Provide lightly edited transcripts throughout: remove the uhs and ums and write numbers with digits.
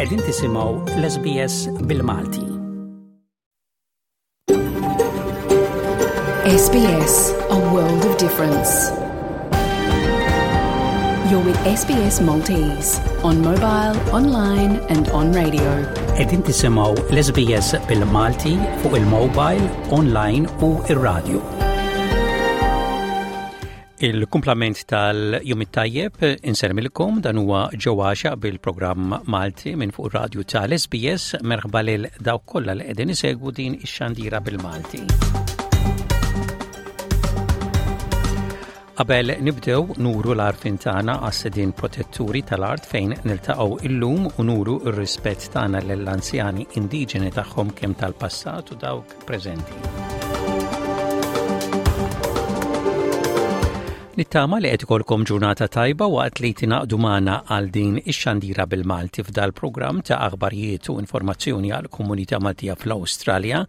Qegħdin tisimgħu l-SBS bil-Malti. SBS, a world of difference. You're with SBS Maltese on mobile, online and on radio. Qegħdin tisimgħu l-SBS bil-Malti fuq il-mobile, online u ir-radio. Il-kumplament tal-jum it-tajjeb insermilkom dan huwa ġewwaxa bil-programm Malti minn fuq ir-radju tal-SBS merħba lil dawk kollha li qegħdin isegwu din ix-xandira bil-Malti. Qabel nibdew nuru l-għarfien tagħna għas-sidien protetturi tal-art fejn niltaqgħu illum u nuru r-rispett tagħna lill-anzjani indiġeni tagħhom kemm tal-passat u dawk preżenti. Nittama li qed ikolkom ġurnata tajba waqt li tingħaqdu magħna għal din ix-xandira bil-Malti f'dal programm ta' aħbarijiet u informazzjoni għal komunità Maltija fl-Awstralja.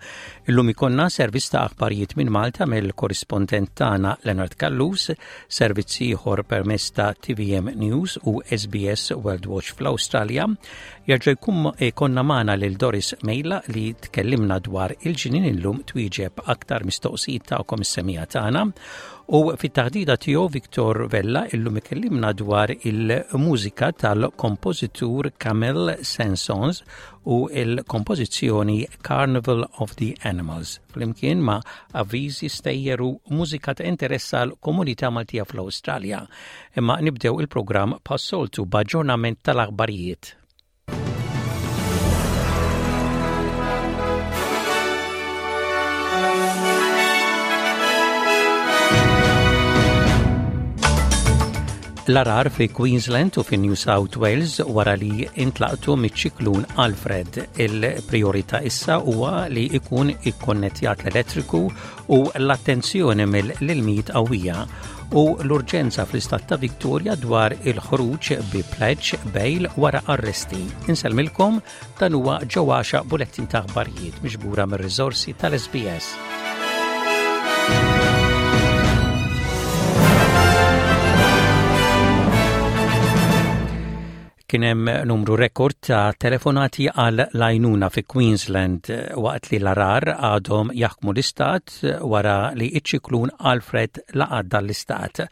Illum ikollna servizz ta' aħbarijiet minn Malta mill-korrispondent tagħna Leonard Callus, servizz ieħor permezz ta' TVM News u SBS World Watch fl-Awstralja, Jerġa' jkun ikollna magħna lil Doris Mejla li tkellimna dwar il-ġnien illum twieġeb aktar mistoqsijiet tagħkom is-semija tagħna. U fit-taħdida tiegħu Victor Vella illum ikellimna dwar il-mużika tal-kompożitur Camille Saint-Saëns u l-kompożizzjoni Carnival of the Animals flimkien ma' avviżi stejjer u mużika ta' interess għal komunità Maltija fl-Awstralja. Imma nibdew il-programm bħas-soltu b'aġġornament tal-aħbarijiet. L-arar fi Queensland u fi New South Wales wara li intlaqtu miċ-ċiklun Alfred. Il-priorità issa huwa li ikun ikkonnettjat l-elettriku u l-attenzjoni mill-ilmijiet qawwija u l-urġenza fl-istat ta' Victoria dwar il-ħruġ bi pledge bail wara arresti. Insellmilkom dan huwa ġewwaxa bulettin ta' aħbarijiet miġbura mir-riżorsi tal-SBS. Kien hemm numru rekord ta' telefonati għal l-għajnuna fi Queensland waqt li l-arar għadhom jaħkmu l-istat wara li iċ-ċiklun Alfred laqat dan l-istat.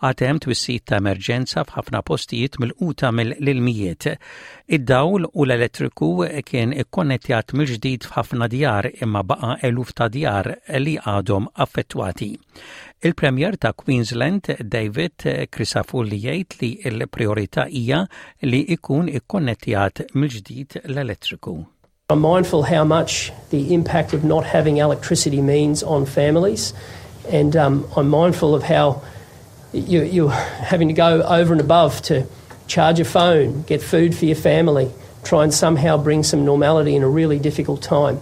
Għad hemm twissijiet ta' emerġenza f'ħafna postijiet milquta mill-ilmijiet. Id-dawl u l-elettriku kien ikkonnettjat mill-ġdid f'ħafna djar imma baqa' eluf ta' djar li għadhom affettwati. Il-Premier ta' Queensland, David Crisafulli jgħid li l-priorità hija li jkun ikkonnettjat mill-ġdid l-elettriku. I'm mindful how much the impact of not having electricity means on families and um, I'm mindful of how you, you're having to go over and above to charge a phone, get food for your family, try and somehow bring some normality in a really difficult time.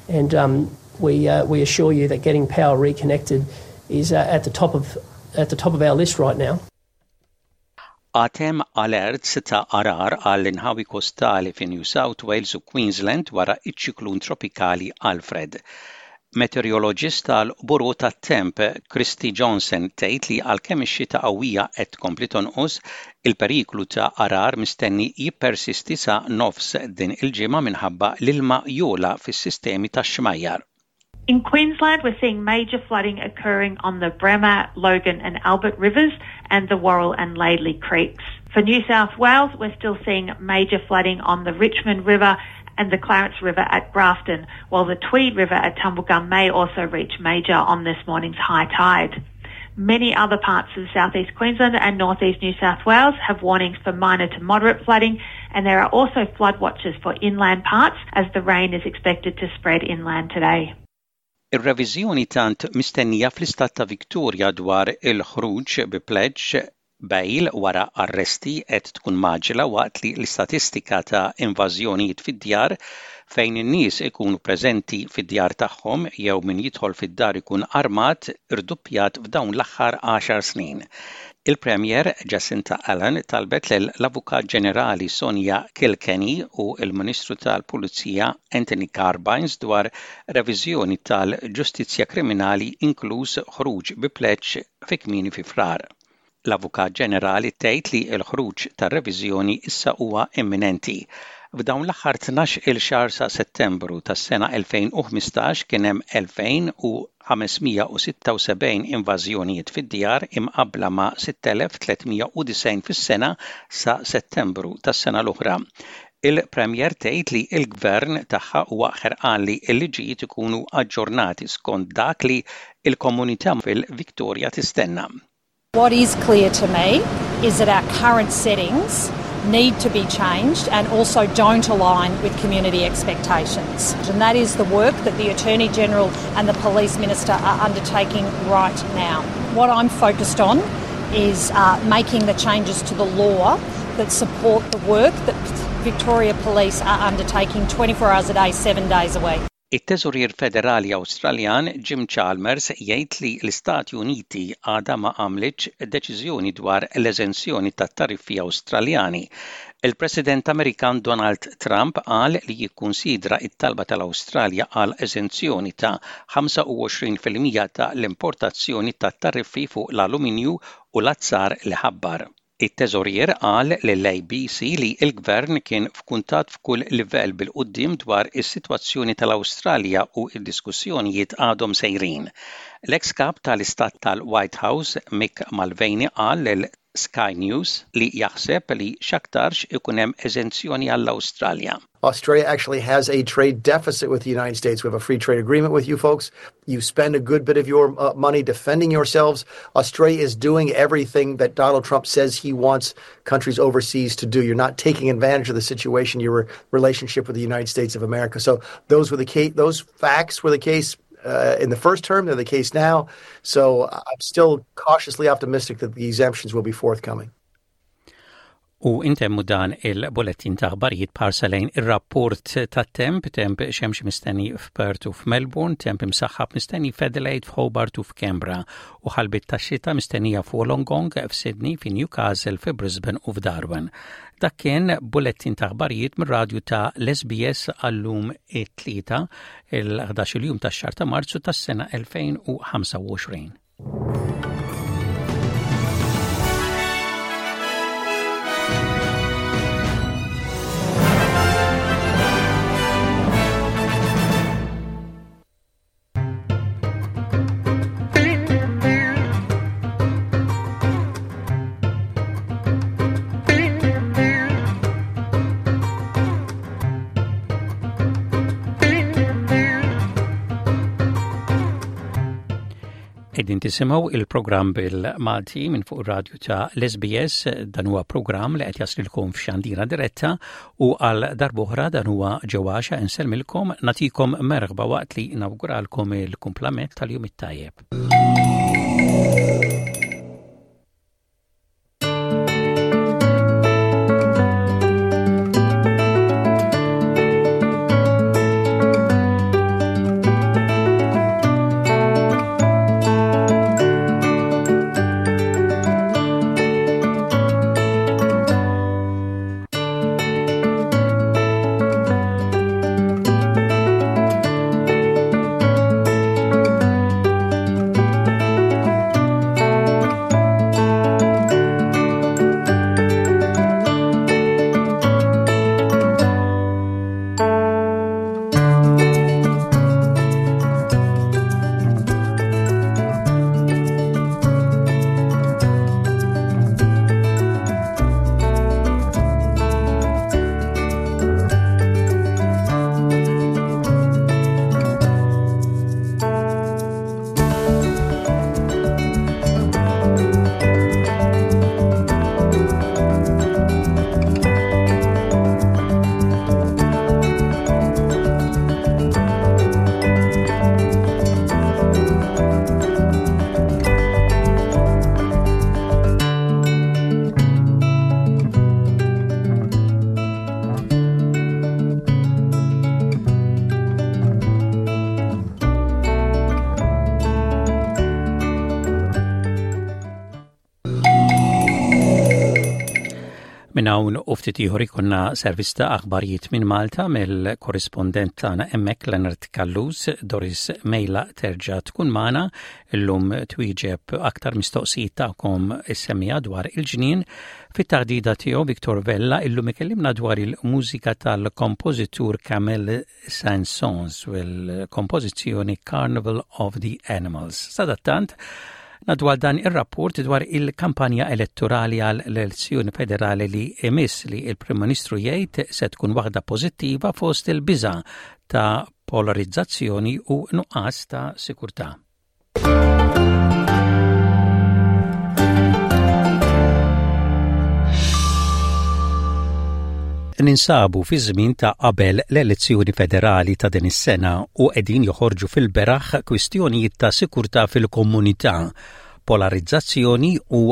And um, we, uh, we assure you that getting power reconnected is uh, at, the top of, at the top of our list right now. Għad hemm alerts ta' għarar għal inħawi kostali fi New South Wales u Queensland wara ċ-ċiklun tropikali Alfred. Meteoroloġist tal-Bureau tat-Temp, Christy Johnson, tgħid li għalkemm ix-xita qawwija qed tkompli tonqos, il-periklu ta' għarar mistenni jippersisti sa nofs din il-ġimgħa minħabba l-ilma jogħla fis-sistemi tax-xmajjar. In Queensland, we're seeing major flooding occurring on the Bremer, Logan and Albert rivers and the Worrell and Laidley creeks. For New South Wales, we're still seeing major flooding on the Richmond River and the Clarence River at Grafton, while the Tweed River at Tumblegum may also reach major on this morning's high tide. Many other parts of southeast Queensland and northeast New South Wales have warnings for minor to moderate flooding, and there are also flood watches for inland parts as the rain is expected to spread inland today. Ir-reviżjoni tant mistennija fl-istat ta' Victoria dwar il-ħruġ bi pleġġ bail wara arresti qed tkun mgħaġġla waqt li l-istatistika ta' invażjonijiet fid-djar fejn in-nies ikunu preżenti fid-djar tagħhom jew min jidħol fid-dar ikun armat irduppjat f'dawn l-aħħar għaxar snin. Il-Premier Jacinta Allan talbet lill-Avukat Ġenerali Sonia Kilkenny u l-Ministru tal-Pulizija Anthony Carbines dwar reviżjoni tal-ġustizzja kriminali inkluż ħruġ bi pleġġ fi kmieni fi Frar. L-Avukat Ġenerali tgħid li l-ħruġ tar-reviżjoni issa huwa imminenti. F'dawn l-aħħar 12-il xahar sa Settembru tas-sena 2015 kien hemm 2,576 invażjonijiet fid-djar imqabbla ma' 6,390 fis-sena sa Settembru tas-sena l-oħra. Il-Premier tgħid li l-Gvern tagħha huwa ħerqan li l-liġijiet ikunu aġġornati skont dak li l-komunità fil-Victoria tistenna. What is clear to me is that our current settings need to be changed and also don't align with community expectations. And that is the work that the Attorney General and the Police Minister are undertaking right now. What I'm focused on is uh, making the changes to the law that support the work that Victoria Police are undertaking 24 hours a day, seven days a week. It-Teżorier Federali Awstraljan Jim Chalmers jgħid li l-Istati Uniti għadha ma għamlitx deċiżjoni dwar l-eżenzjoni tat-tariffi Awstraljani. Il-President Amerikan Donald Trump qal li jikkunsidra t-talba tal-Awstralja għal eżenzjoni ta' 25% ta' l-importazzjoni tat-tariffi fuq l-aluminju u l-azzar li ħabbar. It-Teżorier qal lill-ABC li l-Gvern kien f'kuntatt f'kull livell bil-quddiem dwar is-sitwazzjoni tal-Awstralja u d-diskussjonijiet għadhom sejrin. L-eks Kap tal-Istat tal-White House, Mick Mulvaney qal lil Sky News li jaħseb li x'aktarx ikun hemm eżenzjoni għall-Awstralja. Australia actually has a trade deficit with the United States. We have a free trade agreement with you folks. You spend a good bit of your uh, money defending yourselves. Australia is doing everything that Donald Trump says he wants countries overseas to do. You're not taking advantage of the situation, your relationship with the United States of America. So those were the case. Those facts were the case uh, in the first term. They're the case now. So I'm still cautiously optimistic that the exemptions will be forthcoming. U intemmu dan il-bulettin ta' aħbarijiet b'ħarsa lejn ir-rapport tat-temp, temp xemx mistenni f'Perth u f'Melbourne, temp imsaħħab mistenni f'Adelaide, f'Hobart u f'Canberra, u ħalbiet tax-xita mistennija f'Wollongong, f'Sydney, fi Newcastle, fi Brisbane u f'Darwin. Dak kien bulettin ta' aħbarijiet mir-radju ta' l-SBS għallum it-Tlieta, il-11 jum tax-xahar ta' Marzu tas-sena 2025. Qegħdin tisimgħu il-programm bil-Malti minn fuq ir-radju ta' l-SBS dan huwa programm li qed jaslilkom f'xandira diretta u għal darb'oħra dan huwa ġewwaxa insellmilkom nagħtikom merħba waqt li nawguralkom il-kumplament tal-jum it-tajjeb. Minn hawn u ftit ieħor ikollna servizz ta' aħbarijiet minn Malta mill-korrispondent tagħna hemmhekk Leonard Callus, Doris Mejla terġa' tkun magħna illum twieġeb aktar mistoqsijiet tagħkom is-semmiegħa dwar il-ġnien. Fit-taħdida tiegħu Victor Vella illum ikellimna dwar il-mużika tal-kompożitur Camille Saint-Saëns u l-kompożizzjoni Carnival of the Animals. Sadattant, ngħaddu għal dan ir-rapport dwar il-kampanja elettorali għal l-elezzjoni federali li imiss li il-Prim Ministru jgħid se tkun waħda pożittiva fost il-biża' ta' polarizzazzjoni u nuqqas ta' sikurtà. Ninsabu fi żmien ta' qabel l-elezzjoni federali ta' din is-sena u qegħdin joħorġu fil-beraħ kwistjonijiet ta' sikurtà fil-komunità, polarizzazzjoni u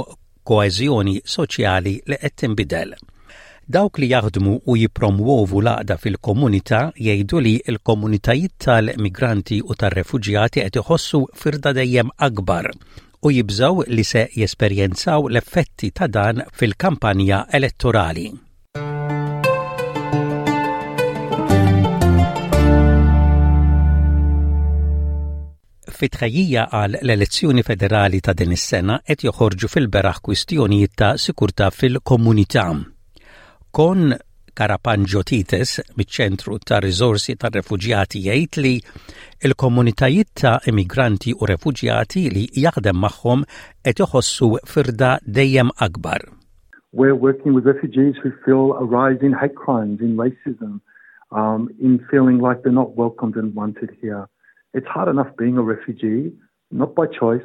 koeżjoni soċjali li qed tinbidel. Dawk li jaħdmu u jippromwovu l-għaqda fil-komunità jgħidu li l-komunitajiet tal-migranti u tar-refuġjati qed iħossu firda dejjem akbar u jibżgħu li se jesperjenzaw l-effetti ta' dan fil-kampanja elettorali. Fi tħejjija għal l-elezzjoni federali ta' din is-sena qed joħorġu fil-beraħ kwistjonijiet ta' sikurtà fil-komunità. Kon Karapanġotites miċ-Ċentru ta' Riżorsi tar-Refuġjati jgħid li l-komunitajiet ta' immigranti u refuġjati li jaħdem magħhom qed iħossu firda dejjem akbar. We're working with refugees who feel a rise in hate crimes, in racism, um, in feeling like they're not welcomed and wanted here. It's hard enough being a refugee, not by choice,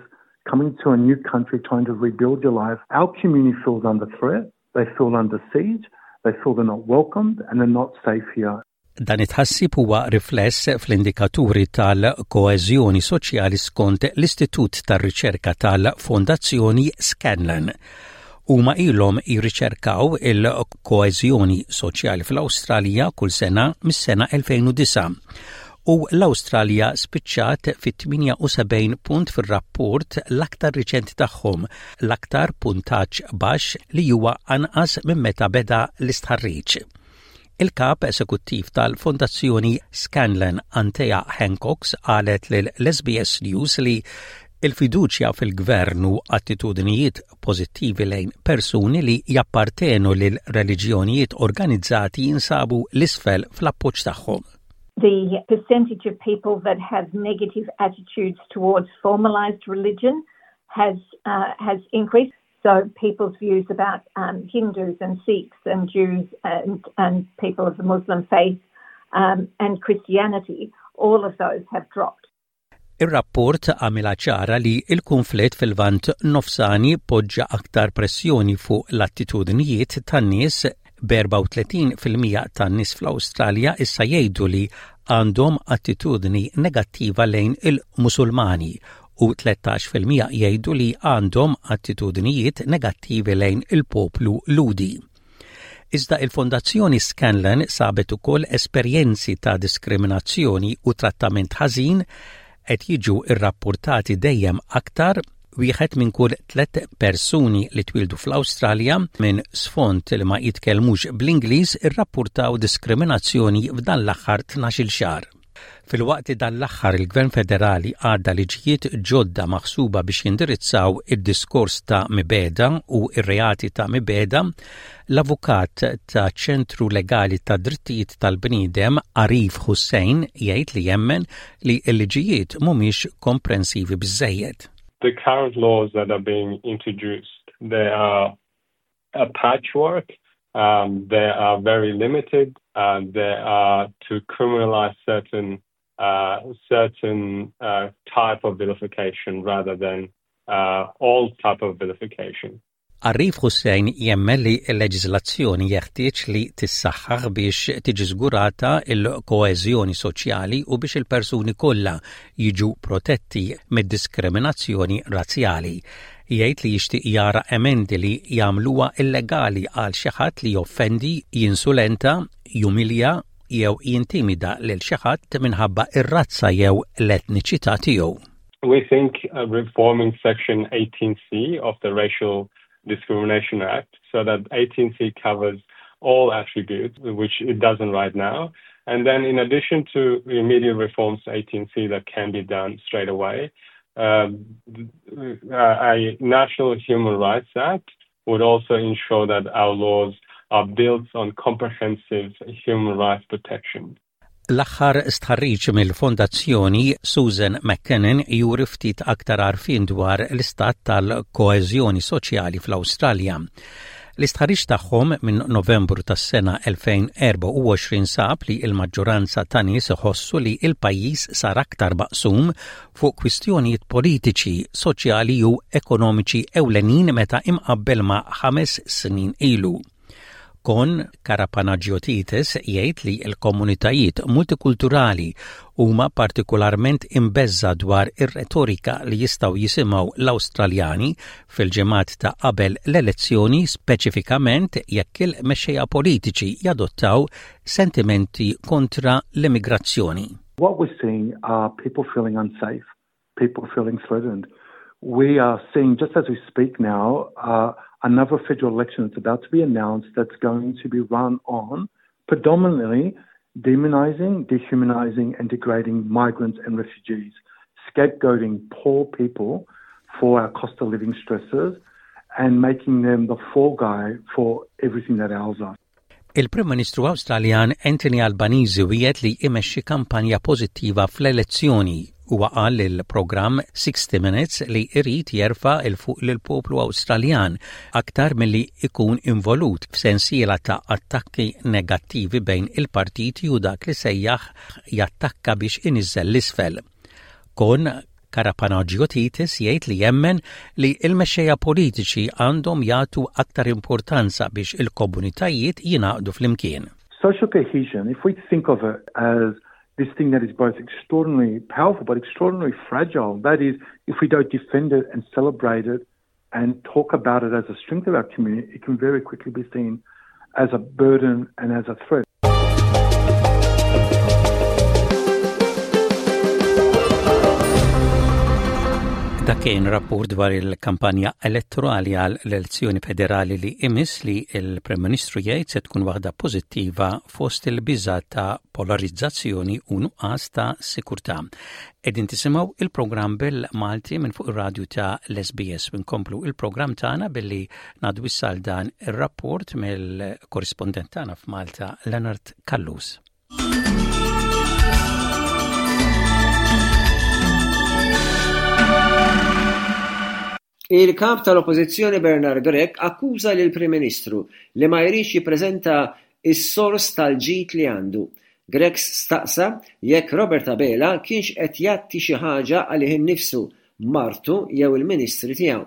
coming to a new country trying to rebuild your life. Our community feels under threat, they feel under siege, they feel they're not welcomed and they're not safe here. Dan it-tħassib huwa rifless fl-indikaturi tal-koeżjoni soċjali skont l-Istitut tar-Riċerka tal-Fondazzjoni Scanlon. Huma ilhom jirriċerkaw il-koeżjoni soċjali fl-Awstralja kull sena mis-sena 2009 u l-Awstralja spiċċat fit-78 punt fir-rapport l-aktar riċenti tagħhom, l-aktar puntaġġ baxx li huwa anqas minn meta beda l-istħarriġ. Il-Kap Esekuttiv tal-Fondazzjoni Scanlon Anthea Hancox qalet lil SBS News li il-fiduċja fil-gvern u attitudnijiet pożittivi lejn persuni li jappartenu lil reliġjonijiet organizzati jinsabu l-isfel fl-appoġġ tagħhom. The percentage of people that have negative attitudes towards formalized religion has uh, has increased. So people's views about um, Hindus and Sikhs and Jews and, and people of the Muslim faith um, and Christianity, all of those have dropped. Ir-rapport għamilha ċara li l-kunflitt fil-Lvant Nofsani poġġa aktar pressjoni fuq l-attitudnijiet tan-nies b'34% tan-nies fl-Awstralja issa jgħidu li għandhom attitudni negattiva lejn il-Musulmani u 13% jgħidu li għandhom attitudnijiet negattivi lejn il-poplu Lhudi. Iżda il-Fondazzjoni Scanlon sabet ukoll esperjenzi ta' diskriminazzjoni u trattament ħażin qed jiġu rrappurtati dejjem aktar wieħed minn kull tlett persuni li twieldu fl-Awstralja minn sfond li ma jitkellmux bl-Ingliż irrappurtaw diskriminazzjoni f'dan l-aħħar tnax-il xahar. Filwaqt li dan l-aħħar il-Gvern Federali għadda liġijiet ġodda maħsuba biex jindirizzaw id-diskors ta' mibegħda u r-reati ta' mibegħda, l-avukat ta' Ċentru Legali tad-Drittijiet tal-Bniedem Arif Hussain jgħid li jemmen li l-liġijiet mhumiex komprensivi biżżejjed. The current laws that are being introduced, they are a patchwork, um, they are very limited, uh, they are to criminalize certain uh, certain uh, type of vilification rather than uh, all type of vilification. Arif Hussain jemmen li l-leġiżlazzjoni jeħtieġ li tissaħħaħ biex tiġi żgurata l-koeżjoni soċjali u biex il-persuni kollha jiġu protetti mid-diskriminazzjoni razzjali. Jgħid li jixtieq jara emendi li jagħmluha illegali għal xi ħadd li joffendi, jinsulenta, jumilja jew jintimida lil xi ħadd minħabba r-razza jew l-etniċità tiegħu. We think uh, reforming Section 18C of the Racial Discrimination Act. so that 18C covers all attributes, which it doesn't right now. And then in addition to immediate reforms to 18C that can be done straight away, a National Human Rights Act would also ensure that our laws are built on comprehensive human rights protection. L-aħħar stħarriġ mill-Fondazzjoni Susan McKinnon juri ftit aktar għarfien dwar l-istat tal-koeżjoni soċjali fl-Awstralja. L-istħarriġ tagħhom minn Novembru tas-sena 2024 sab li l-maġġoranza ta' nies iħossu li l-pajjiż sar aktar maqsum fuq kwistjonijiet politiċi, soċjali u ekonomiċi ewlenin meta imqabbel ma' ħames snin ilu. Kon Karapanagiotidis jgħid li l-komunitajiet multikulturali huma partikolarment imbeżża' dwar ir-retorika li jistgħu jisimgħu l-Awstraljani fil-ġimgħat ta' qabel l-elezzjoni speċifikament jekk il-mexxejja politiċi jadottaw sentimenti kontra l-immigrazzjoni. What we're seeing are people feeling unsafe, people feeling threatened. We are seeing, just as we speak now, uh, another federal election that's about to be announced that's going to be run on predominantly demonizing, dehumanizing, and degrading migrants and refugees, scapegoating poor people for our cost of living stresses and making them the fall guy for everything that ails us. Il-Prim Ministru Awstraljan Anthony Albanese wiegħed li imexxi kampanja pożittiva fl-elezzjoni. Huwa qal lill-programm 60 Minutes li jrid jerfa' 'l fuq lill-poplu Awstraljan aktar milli jkun involut f'sensiela ta' attakki negattivi bejn il-partiti u dak li sejjaħ jattakka biex iniżżel 'l isfel. Kon Karapanagiotidis jgħid li jemmen li l-mexxejja politiċi għandhom jagħtu aktar importanza biex il-komunitajiet jingħaqdu flimkien. Social cohesion, if we think of it as this thing that is both extraordinarily powerful but extraordinarily fragile, that is, if we don't defend it and celebrate it and talk about it as a strength of our community, it can very quickly be seen as a burden and as a threat. Dak kien rapport dwar il-kampanja elettorali għal l-elezzjoni federali li imiss li il-Prim Ministru jgħid se tkun waħda pożittiva fost il-biża ta' polarizzazzjoni u nuqqas ta' sikurtà. Qegħdin tisimgħu il-programm bil-Malti minn fuq ir-radju ta' l-SBS u nkomplu il-programm tagħna billi ngħaddu issa għal dan ir-rapport mill-korrispondent tagħna f'Malta Leonard Callus. Il-Kap tal-Oppożizzjoni Bernard Grech akkuża lill-Prim Ministru li ma jridx jippreżenta s-sors tal-ġid li għandu. Grech staqsa jekk Robert Abela kienx qed jgħatti xi ħaġa għalih innifsu, martu jew il-Ministri tiegħu.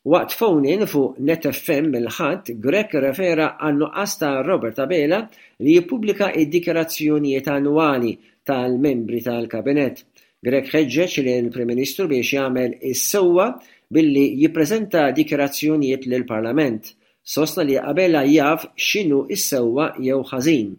Waqt phone-in fuq Net FM il-Ħadd, Grech irrefera għan-nuqqas ta' Robert Abela li jippubblika d-dikjarazzjonijiet annwali tal-membri tal-Kabinett. Grech ħeġġeġ lill-Prim Ministru biex jagħmel is-sewwa billi jippreżenta dikjarazzjonijiet lill-Parlament. Sostna li Abela jaf x'inhu s-sewwa jew ħażin.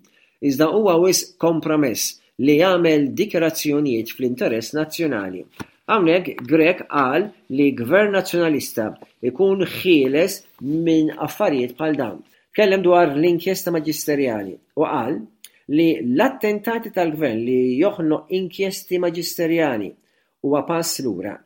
Iżda huwa wisq kompromess li jagħmel dikjarazzjonijiet fl-interess nazzjonali. Hawnhekk Grech qal li Gvern Nazzjonalista jkun ħieles minn affarijiet bħal dawn. Tkellem dwar l-inkjesta maġisterjali u qal li l-attentati tal-Gvern li joħnoq inkjesti maġisterjali huwa pass lura.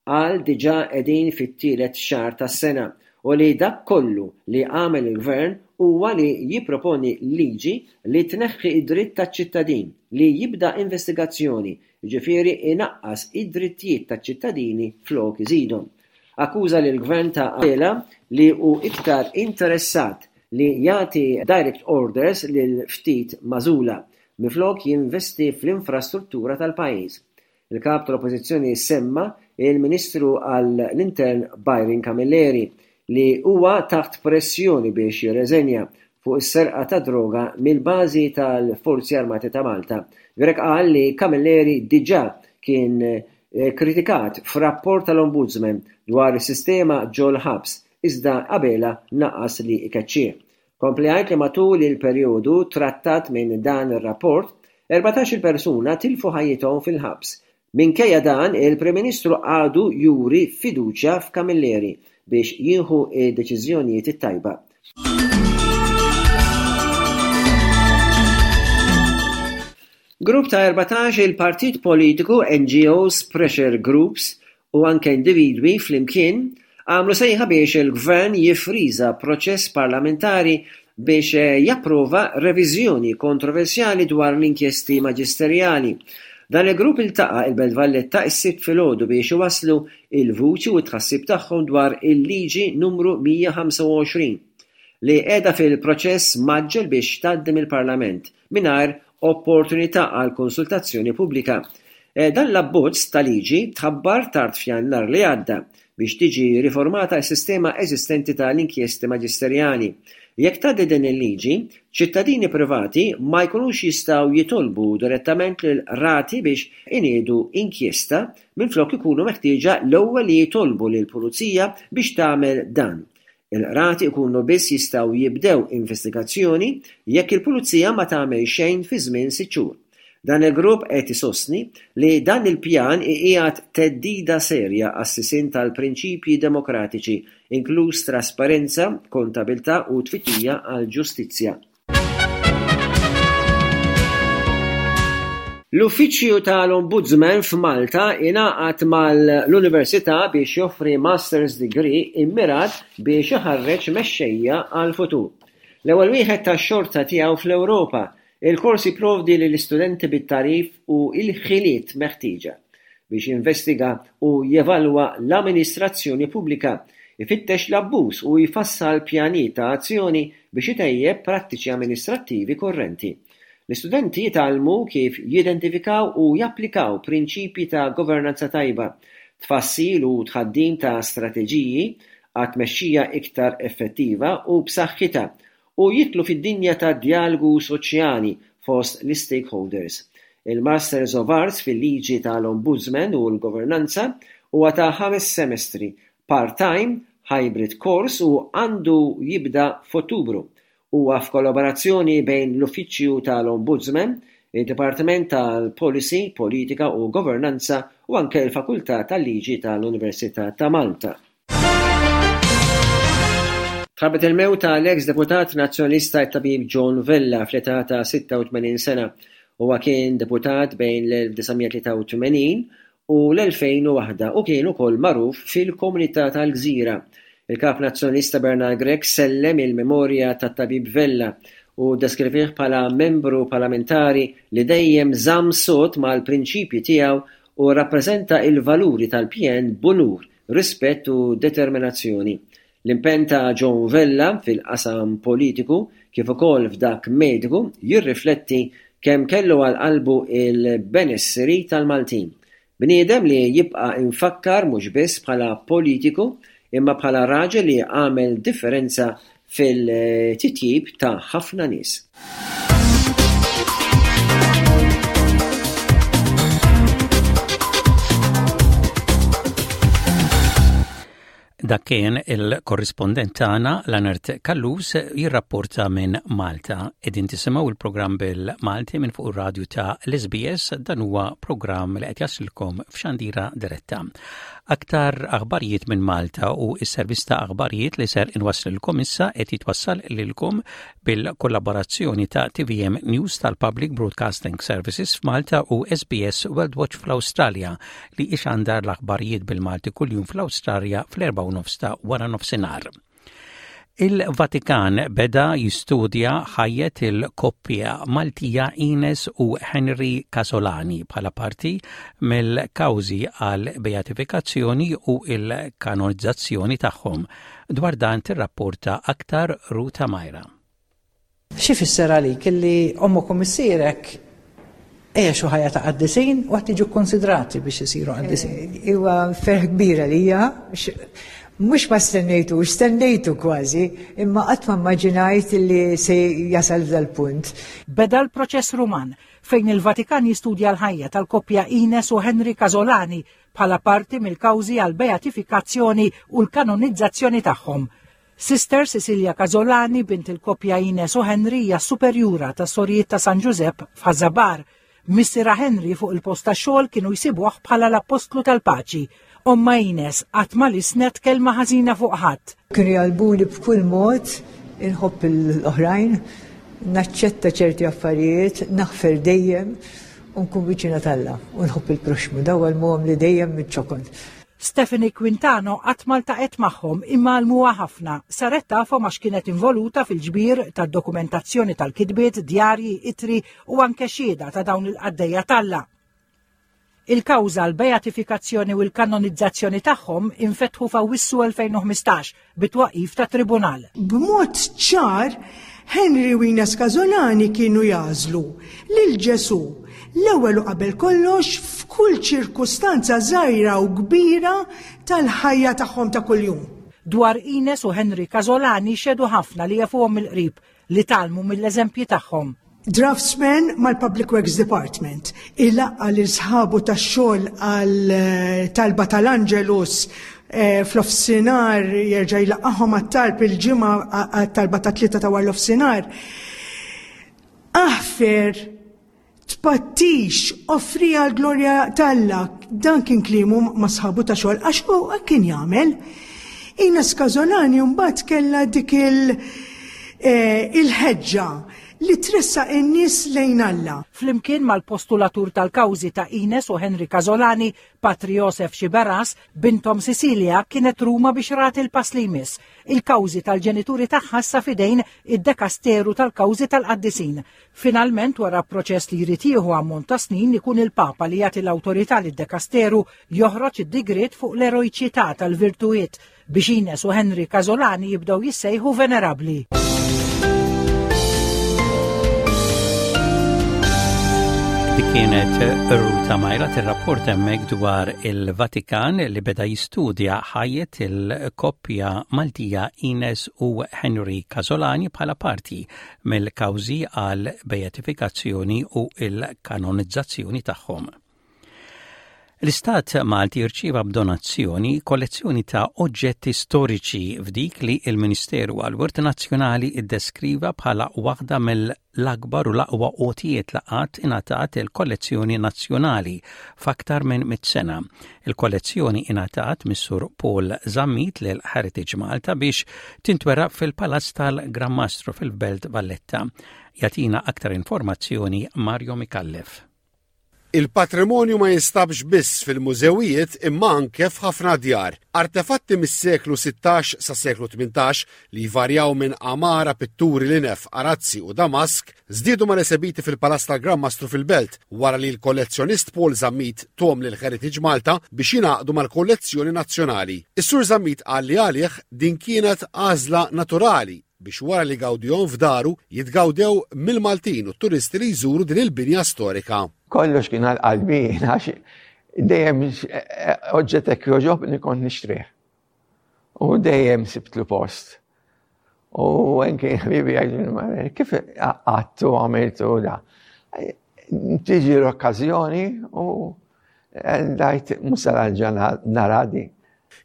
Qal diġà qegħdin fit-tielet xahar tas-sena u li dak kollu li għamel il-Gvern huwa li jipproponi liġi li tneħħi d-dritt taċ-ċittadin li jibda investigazzjoni, jiġifieri inaqqas id-drittijiet taċ-ċittadini flok iżidhom. Akkuża lill-Gvern ta' Abela li hu iktar interessat li jagħti direct orders lil ftit magħżula, minflok jinvesti fl-infrastruttura tal-pajjiż. Il-Kap tal-Oppożizzjoni semma il-Ministru għall-Intern Byron Camilleri li huwa taħt pressjoni biex jirreżenja fuq is-serqa tad-droga mill-bażi tal-Forzi Armati ta' Malta. Grech qal li Camilleri diġà kien Kkritikat f'rapport tal-Ombudsman dwar is-sistema ġol-ħabs, iżda Abela naqas li jkeċċih. Kompla jgħid li matul il-perjodu trattat minn dan ir-rapport, 14-il persuna tilfu ħajjithom fil-ħabs. Minkejja dan, il-Prim Ministru għadu juri fiduċja f'Camilleri biex jieħu d-deċiżjonijiet it-tajba. Grupp ta' 14 il-partit politiku, NGOs, pressure groups u anke individwi flimkien għamlu sejħa biex il-Gvern jiffriża proċess parlamentari biex japprova reviżjoni kontroversjali dwar l-inkjesti maġisterjali. Dan il-grupp iltaqa' il-Belt Valletta s-Sibt filgħodu biex iwasslu l-vuċi u t-tħassib tagħhom dwar il-Liġi Numru 125 li qiegħda fil-proċess mgħaġġel biex tgħaddi mill-Parlament mingħajr opportunità għal konsultazzjoni pubblika. Dan l-abbozz ta' liġi tħabbar tard f'Jannar li għadda biex tiġi riformata s-sistema eżistenti ta' l-inkjesti maġisterjali. Jekk tgħaddi din il-liġi, ċittadini privati ma jkunux jistgħu jitolbu direttament lill-qrati biex iniedu inkjesta minflok ikunu meħtieġa l-ewwel li jitolbu lill-pulizija biex tagħmel dan. Il-qrati jkunu biss jistgħu jibdew investigazzjoni jekk il-pulizija ma tagħmel xejn fi żmien sitt xhur. Dan il-grupp qed isostni li dan il-pjan iqiegħed theddida serja għas-sisien tal-prinċipji demokratiċi, inkluż trasparenza, kontabilità u tfittxija għall-ġustizzja. L-Uffiċċju tal-Ombudsman f'Malta ingħaqad mal-Università biex joffri Master's Degree immirat biex iħarreġ mexxejja għall-futur. L-ewwel wieħed tax-xorta tiegħu fl-Ewropa, il-kors jipprovdi lill-istudenti bit-tagħrif u l-ħiliet meħtieġa biex jinvestiga u jevalwa l-amministrazzjoni pubblika, ifittex l-abbuż u jfassal pjanijiet ta' azzjoni biex itejjeb prattiċi amministrattivi kurrenti. L-istudenti jitgħallmu kif jidentifikaw u japplikaw prinċipji ta' governanza tajba, tfassil u tħaddim ta' strateġiji għat-tmexxija iktar effettiva u b'saħħitha, u jidħlu fid-dinja tad-djalogu soċjali fost l-istakeholders. Il-Masters of Arts fil-Liġi tal-Ombudsman u l-Governanza huwa ta' ħames semestri, part-time, hybrid course u għandu jibda f'Ottubru. Huwa f'kollaborazzjoni bejn l-Uffiċċju tal-Ombudsman, id-Dipartiment tal-Policy, Politika u Governanza u anke l-Fakultà tal-Liġi tal-Università ta' Malta. Tħabbret il-mewt ta' l-eks deputat Nazzjonalista t-Tabib John Vella fl-età ta' 86 sena. Huwa kien deputat bejn l-1983 u l-2001 u kien ukoll magħruf fil-komunità tal-Gżira. Il-Kap Nazzjonalista Bernard Grech sellem il-memorja tat-Tabib Vella u ddeskrivih bħala membru parlamentari li dejjem żamm sod mal-prinċipji tiegħu u rrappreżenta l-valuri tal-PN b'unur, rispett u determinazzjoni. L-impenn ta' John Vella fil-qasam politiku kif ukoll f'dak mediku jirrifletti kemm kellu għal qalbu l-benesseri tal-Maltin. Bniedem li jibqa' imfakkar mhux biss bħala politiku imma bħala raġel li għamel differenza fil-titjib ta' ħafna nies. Dak kien il-korrispondent tagħna Lanert Kallus jirrapporta minn Malta. Qegħdin tisimgħu il-programm bil-Malti minn fuq ir-radju ta' l-SBS dan huwa programm li qed jaslilkom f'xandira diretta. Aktar aħbarijiet minn Malta u s-servizz ta' aħbarijiet li ser inwasslilkom issa qed jitwassal lilkom bil-kollaborazzjoni ta' TVM News tal-Public Broadcasting Services f'Malta u SBS World Watch fl-Awstralja li ixandar l-aħbarijiet bil-Malti kuljum fl-Awstralja fl-4 nofs ta' wara nofsinhar. Il-Vatikan beda jistudja ħajjet il-koppja Maltija Ines u Henry Casolani bħala parti mill-kawżi għal beatifikazzjoni u l-kanonizzazzjoni tagħhom. Dwar dan tirrapporta aktar Ruta Majra. X'ifisser għalik illi ommok u missierek għexu ħajja ta' qaddisin u qed jiġu kkonsidrati biex isiru qaddisin? Eh, huwa ferħ kbir għalija, mhux ma stennejtu, stennejtu kważi, imma qatt ma immaġinajt li se jasal f'dal-punt. Beda l-proċess Ruman fejn il-Vatikan jistudja l-ħajja tal-koppja Ines u Henry Casolani bħala parti mill-kawżi għal beatifikazzjoni u l-kanonizzazzjoni tagħhom. Sister Cecilia Casolani, bint il-koppja Ines u Henry, hija s-superjura tas-Sorijiet ta' San Ġużepp f'Ħaż-Żabbar. Missierha Henry fuq il-post tax-xogħol kienu jsibuh bħala l-appostlu tal-paċi. Ommha Ines qatt ma lissnet kelma ħażina fuq ħadd. Kienu jgħallmuni b'kull mod. Inħobb l-oħrajn, naċċetta ċerti affarijiet, naħfer dejjem u nkun viċina t'Alla u nħobb il-proxxmu. Dawn għallmuhom li dejjem miċ-ċokon. Stephanie Quintano qatt ma ltaqgħet magħhom imma għallmuha ħafna. Saret tafhom għax kienet involuta fil-ġbir tad-dokumentazzjoni tal-kitbiet, djarji, ittri u anke xhieda ta' dawn il-qaddejja t'Alla. Il-kawża għall-beatifikazzjoni u l-kanonizzazzjoni tagħhom infetħu f'Awwissu 2015 bit-twaqqif ta' tribunal. B'mod ċar, Henry u Ines Casolani kienu jagħżlu lil Ġesù l-ewwel u qabel kollox f'kull ċirkustanza żgħira u kbira tal-ħajja tagħhom ta' kuljum. Dwar Ines u Henry Casolani xehdu ħafna li jafuhom mill-qrib li tgħallmu mill-eżempji tagħhom. Draftsman mal-Public Works Department ilaqqa' lil sħabu tax-xogħol għal eh, talba tal-Angelus eh, fl-offsinar jerġa' jlaqqahom għat-talb il-ġimgħa għat-talba ta' tlieta ta' wara l-offsinar. Aħfer Tpattix, offriha għall-glorja t'Alla. Dan kien kliemu ma' sħabu ta' xogħol għax hu hekk kien jagħmel. Ines Casolani mbagħad kellha dik il- eh, il-ħeġġa li tressaq in-nies lejn Alla. Flimkien mal-postulatur tal-kawżi ta' Ines u Henry Casolani, Patri Josef Sciberras, binthom Cecilia kienet Ruma biex rat il-pass li jmiss. Il-kawżi tal-ġenituri tagħha issa f'idejn id-dekasteru tal-kawżi tal-qaddisin. Finalment, wara proċess li jrid jieħu ammont ta' snin, ikun il-Papa li jagħti l-awtorità lid-dekasteru joħroġ id-digriet fuq l-erojċità tal-virtujiet biex Ines u Henry Casolani jibdew jissejħu venerabbli. Dik kienet Ruta Majra tirrapport hemmhekk dwar il-Vatikan li beda jistudja ħajjet il-koppja Maltija Ines u Henry Casolani bħala parti mill-kawżi għal beatifikazzjoni u l-kanonizzazzjoni tagħhom. L-Istat Malti rċieva b'donazzjoni kollezzjoni ta' oġġetti storiċi f'dik li l-Ministeru għall-Wirt Nazzjonali iddeskriva bħala waħda mill-akbar u l-aqwa għotijiet li qatt ingħatat il-kollezzjoni nazzjonali f'aktar minn mit sena. Il-kollezzjoni ingħatat mis-Sur Paul Zammit lil Heritage Malta biex tintwera fil-Palazz tal-Gran Mastru fil-Belt Valletta. Jagħtina aktar informazzjoni Mario Micallef. Il-patrimonju ma jinstabx biss fil-mużewijiet imma anke f'ħafna djar. Artefatti mis-seklu 16 sas-seklu 18 li jvarjaw minn għamara, pitturi, linef, arazzi u damask, żdiedu mal-esebiti fil-Palazz tal-Gran Mastru fil-Belt wara li l-kollezzjonist Paul Zammit thom lil Heritage Malta biex jingħaqdu mal-kollezzjoni nazzjonali. Is-Sur Zammit qal li għalih din kienet għażla naturali biex wara li gawdihom f'daru jitgawdew mill-Maltin u t-turisti li jżuru din il-binja storika. Kollox kien għal qalbi għax dejjem oġġett hekk jogħġobni kont nixtrih. U dejjem sibtlu post. U anke ħbibi jgħidu kif għattu għamiltu da. Tiġi l-okkażjoni u dajt musal ġan naradi.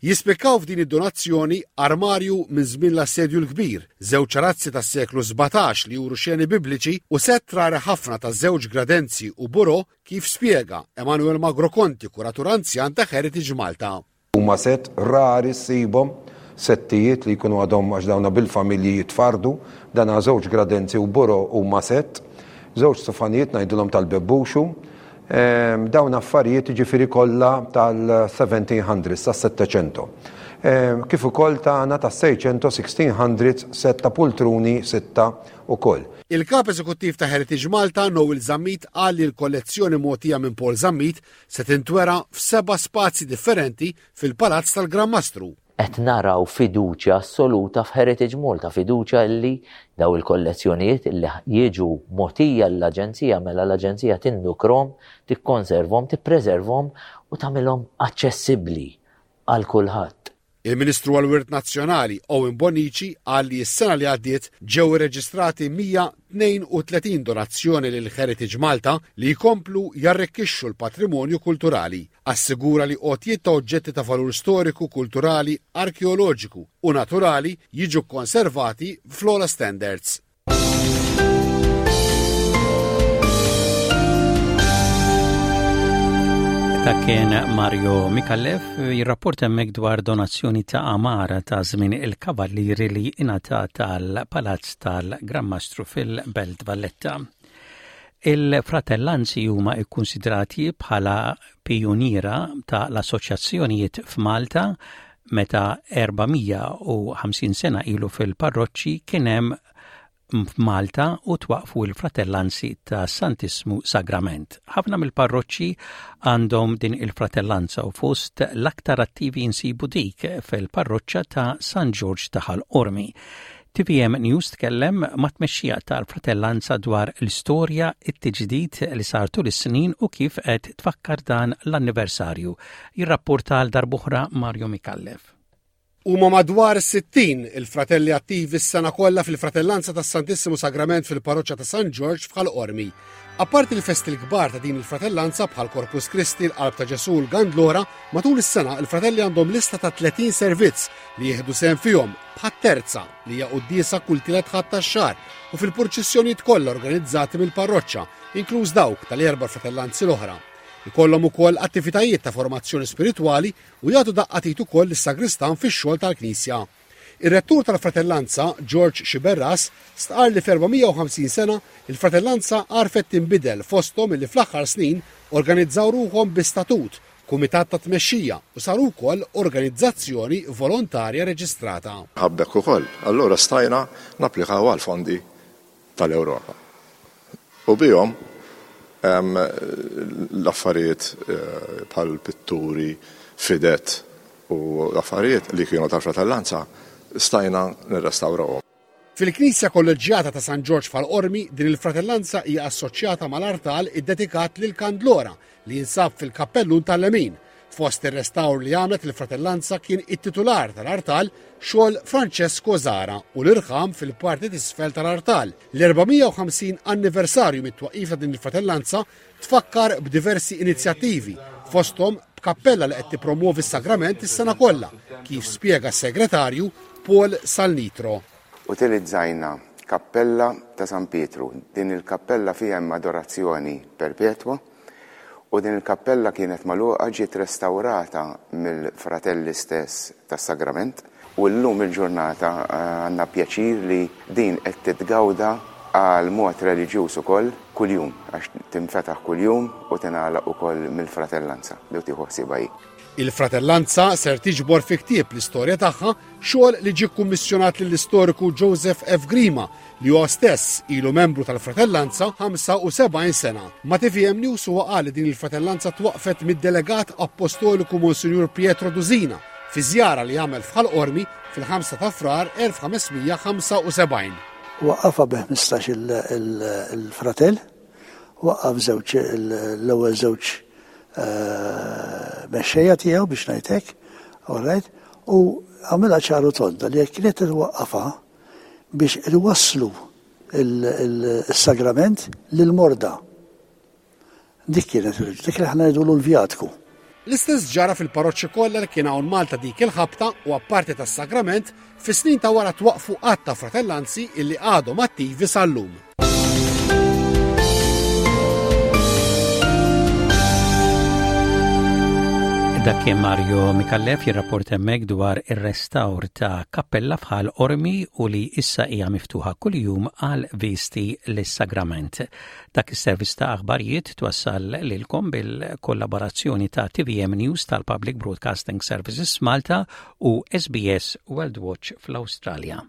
Jispikkaw f'din id-donazzjoni armarju minn żmien l-Assedju l-Kbir, żewġ arazzi tas-seklu 17 li juru xeni bibliċi u sett rari ħafna ta' żewġ gradenzi u burò kif spjega Emanuel Magro Conti, kuratur anzjan ta' Heritage Malta. Huma sett rari ssibhom, settijiet li jkunu għadhom għax dawna bil-familji jitfarrdu, dan għal żewġ gradenzi u buro huma sett, żewġ sufanijiet ngħidulhom tal-bebbuxu, dawn affarijiet jiġifieri kollha tal-1700s, tas-settecento. Kif ukoll tagħna tas-seicento, 1600s, sett ta' pultruni sitta ukoll. Il-Kap Eżekuttiv ta' Heritage Malta, Noel Zammit qal li l-kollezzjoni mogħtija minn Paul Zammit se tintwera f'seba' spazji differenti fil-Palazz tal-Gran Mastru. Qed naraw fiduċja assoluta f'Heritage Malta, fiduċja illi daw il-kollezzjonijiet illi jiġu mogħtija lill-Aġenzija mela l-Aġenzija tindukrom, tikkonservhom, tippreservhom u tagħmilhom aċċessibbli għal kulħadd. Il-Ministru għall-Wirt Nazzjonali, Owen Bonnici, qal li s-sena li għaddiet ġew irreġistrati 132 donazzjoni lil Heritage Malta li jkomplu jarrikkixxu l-patrimonju kulturali. Assigura li għotjiet ta' oġġetti ta' valur storiku, kulturali, arkeoloġiku u naturali jiġu kkonservati fl-ogħla standards. Dak kien Mario Mikallef jirrapporta hemmhekk dwar donazzjoni ta' amara ta' żmien il-Kavallieri li ingħatat tal-Palazz tal-Gran Mastru fil-Belt Valletta. Il-fratellanzi huma kkunsidrati bħala pijuniera ta' l-assoċjazzjonijiet f'Malta meta 450 sena ilu fil-parroċċi kien hemm f'Malta u twaqqfu l-Fratellanzi ta' Santissmu Sagrament. Ħafna mill-parroċċi għandhom din il-fratellanza u fost l-aktar attivi insibu dik fil-parroċċa ta' San Ġorġ ta' Ħal Qormi. TVM News tkellem mat-tmexxija tal-Fratellanza dwar l-istorja, it-tiġdid li sar tul is-snin u kif qed tfakkar dan l-anniversarju. Jirrapporta għal darb'oħra Mario Micallef. Huma madwar 60 il-fratelli attivi s-sena kollha fil-Fratellanza tas-Santissimu Sagrament fil-Parroċċa ta' San Ġorġ f'Ħal Qormi. Apparti l-festi l-kbar ta' din il-fratellanza bħal Corpus Christi, l-Qalb ta' Ġesù u l-Gandlora, matul is-sena il-fratelli għandhom lista ta' 30 servizz li jieħdu sehem fihom bħat-terza li hija quddiesa kull tielet Ħadd tax-xahar u fil-purċissjonijiet kollha organizzati mill-parroċċa, inkluż dawk tal-erba' fratellanzi l-oħra. Ikollhom ukoll attivitajiet ta' formazzjoni spiritwali u jagħtu daqqa t'id ukoll lis-sagristan fix-xogħol tal-knisja. Ir-Rettur tal-Fratellanza, George Sciberras, stqarr li f'450 sena, il-Fratellanza għarfet tinbidel fosthom illi fl-aħħar snin organizzaw ruħhom bi statut, kumitat ta' tmexxija u saru wkoll organizzazzjoni volontarja reġistrata. Ħabbek ukoll. Allura stajna napplikaw għall-fondi tal-Ewropa. U bihom l-affarijiet bħal pitturi, fidet u affarijiet li kienu tal-fratellanza stajna nirrestawrawhom. Fil-Knisja Kolleġġjata ta' San Ġorġ f'Ħal Qormi, din il-fratellanza hija assoċjata mal-artal iddedikat lil Kandlora li jinsab fil-kappellun tal-lemin. Fost ir-restawr li għamlet il-fratellanza kien it-titular tal-artal xogħol Francesco Zara u l-irħam fil-parti t'isfel tal-artal. L-450 anniversarju mit-twaqqif ta' din il-fratellanza tfakkar b'diversi inizjattivi, fosthom b'kappella li qed tippromwovi s-sagrament is-sena kollha, kif spjega s-segretarju Paul Salnitro. Utilizzajna kappella ta' San Pietru. Din il-kappella fiha hemm adorazzjoni perpetwa u din il-kappella kienet magħluqa ġiet restawrata mill-fratelli stess tas-Sagrament u llum il-ġurnata għandna pjaċir li din qed titgawda għal mod reliġjuż ukoll kuljum għax tinfetaħ kuljum u tingħalaq ukoll mill-fratellanza li tieħu ħsiebha hi. Il-fratellanza ser tiġbor fi ktieb l-istorja tagħha Xogħol li ġie kkummissjonat lill-istoriku Joseph F. Grima li huwa stess ilu membru tal-Fratellanza 75 sena. Ma' tvm News huwa qal li din il-Fratellanza twaqqfet mid-Delegat Appostoliku Monsinjur Pietro Dusina fi żjara li għamel f'Ħal Qormi fil-5 ta' Frar 1575. Waqqafha bi 15 il-fratell, waqqaf żewġ l-ewwel żewġ mexxejja tiegħu biex ngħid hekk, all right, u għamilha ċaru tonda li jekk kienet twaqqafha biex iwasslu il-sagrament lil-morda. Dik kienet, dik li aħna ngħidulu l-vjatku. L-istess ġara fil-parroċċi kollha li kien hawn Malta dik il-ħabta u apparti tas-sagrament, fis-snin ta' wara twaqqfu għadd ta' fratellanzi illi għadhom attivi sal-lum. Dak kien Mario Mikallef jirrapport hemmhekk dwar ir-restawr ta' kappella f'Ħal Qormi u li issa hija miftuħa kuljum għal visti lis-Sagrament. Dak is-servizz ta' aħbarijiet twassal lilkom bil-kollaborazzjoni ta' TVM News tal-Public Broadcasting Services Malta u SBS World Watch fl-Awstralja.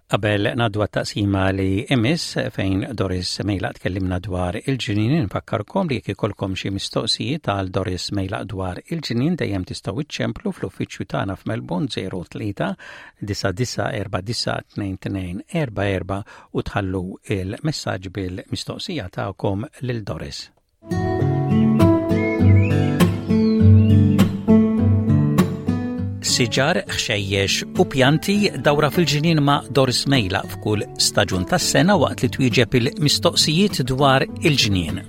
Qabel ngħaddu għat-taqsima li imiss fejn Doris Mejlaq tkellimna dwar il-ġnien infakkarkom li jekk ikollkom xi mistoqsijiet għal Doris Mejlaq dwar il-ġnien dejjem tistgħu iċċemplu fl-uffiċċju tagħna f'Melbourne 03 9949 2244 u tħallu il-messaġġ bil-mistoqsija tagħkom lil Doris. Siġar, ħxejjex u pjanti dawra fil-ġnien ma' Doris Mejla f'kull staġun tas-sena waqt li twieġeb il-mistoqsijiet dwar il-ġnien.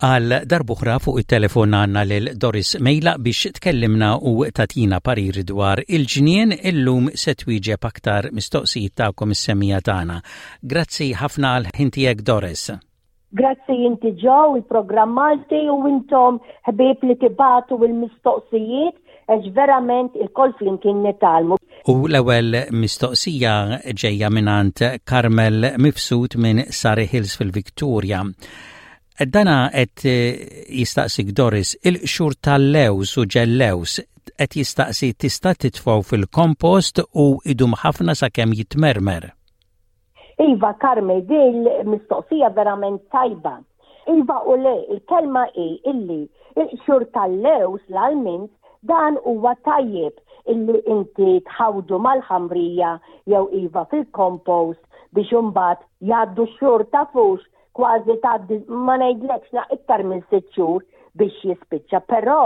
Għal darb'oħra fuq it-telefon għandna lil Doris Mejlaq biex tkellimna u tagħtina parir dwar il-ġnien. Illum se twieġeb aktar mistoqsijiet tagħkom is-semmiegħa tagħna. Grazzi ħafna għal ħin tiegħek Doris. Grazzi inti Joe, il-programm Malti u intom ħbieb li tibagħtu il-mistoqsijiet għax verament ilkoll flimkien nitgħallmu. U l-ewwel mistoqsija ġejja mingħand Carmel Mifsud minn Surrey Hills fil-Victoria. Dana qed jistaqsik Doris, il-qxur tal-lewż u ġellewż qed jistaqsi tista' titfgħu fil-kompost u idum ħafna sakemm jitmermer. Iva Carme, din mistoqsija verament tajba. Iva u le, il-kelma hi illi il-qxur tal-lewż, l-almonds, dan huwa tajjeb illi inti tħawdu mal-ħamrija jew iva fil-compost biex imbagħad jgħaddu x-xhur tafux kważi tgħaddi ma ngħidlekx na iktar minn sitt xhur biex jispiċċa, però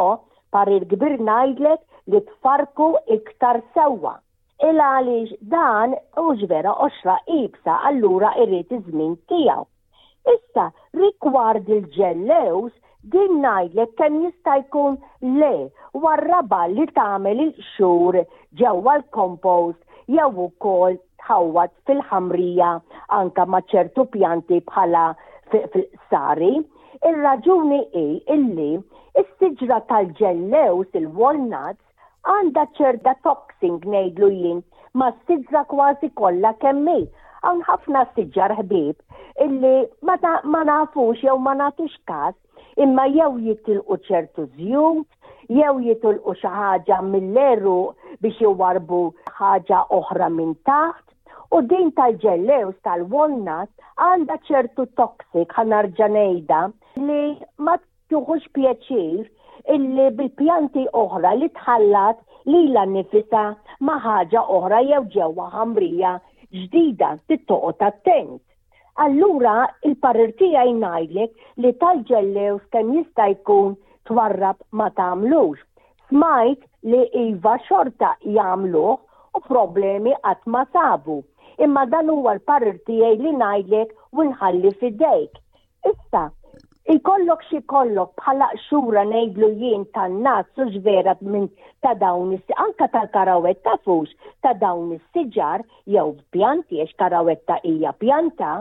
parir kbir ngħidlek li tfarrku iktar sewwa. Il għaliex dan hux vera qoxra iebsa allura irid iż-żmien tiegħu. Issa rigward il-ġellewż din ngħidlek kemm jista' jkun le warrabha li tagħmel il-qxur ġewwa l-compost jew ukoll tħawwad fil-ħamrija anke ma' ċertu pjanti bħala fil-qsari. Ir-raġuni hi illi s-siġra tal-ġellewż il-walnuts Għandha ċerta toxing ngħidlu jien mas-siġra kważi kollha kemm hi. Hawn ħafna siġar ħbieb illi ma, ma nafux jew ma nagħtux każ imma jew jitilqu ċertu żjut, jew jitilqu xi ħaġa mill-għeruq biex iwarrbu ħaġa oħra minn taħt. U din tal-ġellews tal-walnut għandha ċertu toxic ħa narġa' ngħidha li ma Tieħux pjaċir illi bil-pjanti oħra li tħallat lilha nnifisha ma' ħaġa oħra jew ġewwa ħamrija ġdida, trid toqgħod attent. Allura il-parir tiegħi ngħidlek li tal-ġellewż kemm jista' jkun twarrab ma tagħmlux. Smajt li iva xorta jagħmluh u problemi qatt ma sabu. Imma dan huwa l-parir tiegħi li ngħidlek u nħalli f'idejk. Issa, ikollok xi jkollok bħala qxura ngħidlu jien tan-nazz hux vera minn ta' dawn is anka tal-karawett tafux ta' dawn is-siġar jew pjanti għax karawetta hija pjanta,